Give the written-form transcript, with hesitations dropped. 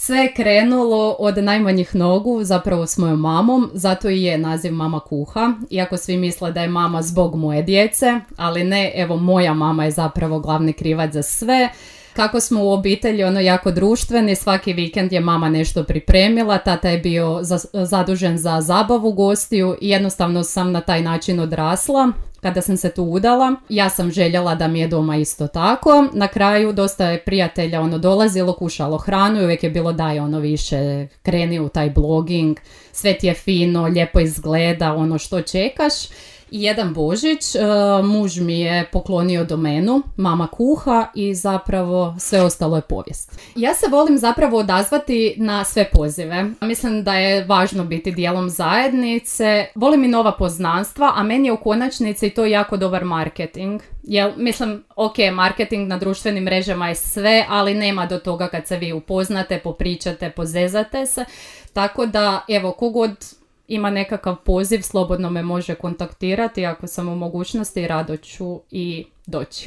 Sve je krenulo od najmanjih nogu, zapravo s mojom mamom, zato i je naziv Mama kuha, iako svi misle da je mama zbog moje djece, ali ne, evo moja mama je zapravo glavni krivac za sve. Kako smo u obitelji jako društveni, svaki vikend je mama nešto pripremila, tata je bio zadužen za zabavu gostiju i jednostavno sam na taj način odrasla. Kada sam se tu udala, ja sam željela da mi je doma isto tako. Na kraju dosta je prijatelja dolazilo, kušalo hranu i uvijek je bilo daj više, kreni u taj blogging, sve ti je fino, lijepo izgleda, što čekaš. I jedan Božić muž mi je poklonio domenu Mama kuha i zapravo sve ostalo je povijest. Ja se volim zapravo odazvati na sve pozive. Mislim da je važno biti dijelom zajednice. Volim i nova poznanstva, a meni je u konačnici to jako dobar marketing. Mislim, marketing na društvenim mrežama je sve, ali nema do toga kad se vi upoznate, popričate, pozezate se. Tako da, evo, kogod ima nekakav poziv, slobodno me može kontaktirati, ako sam u mogućnosti, rado ću i doći.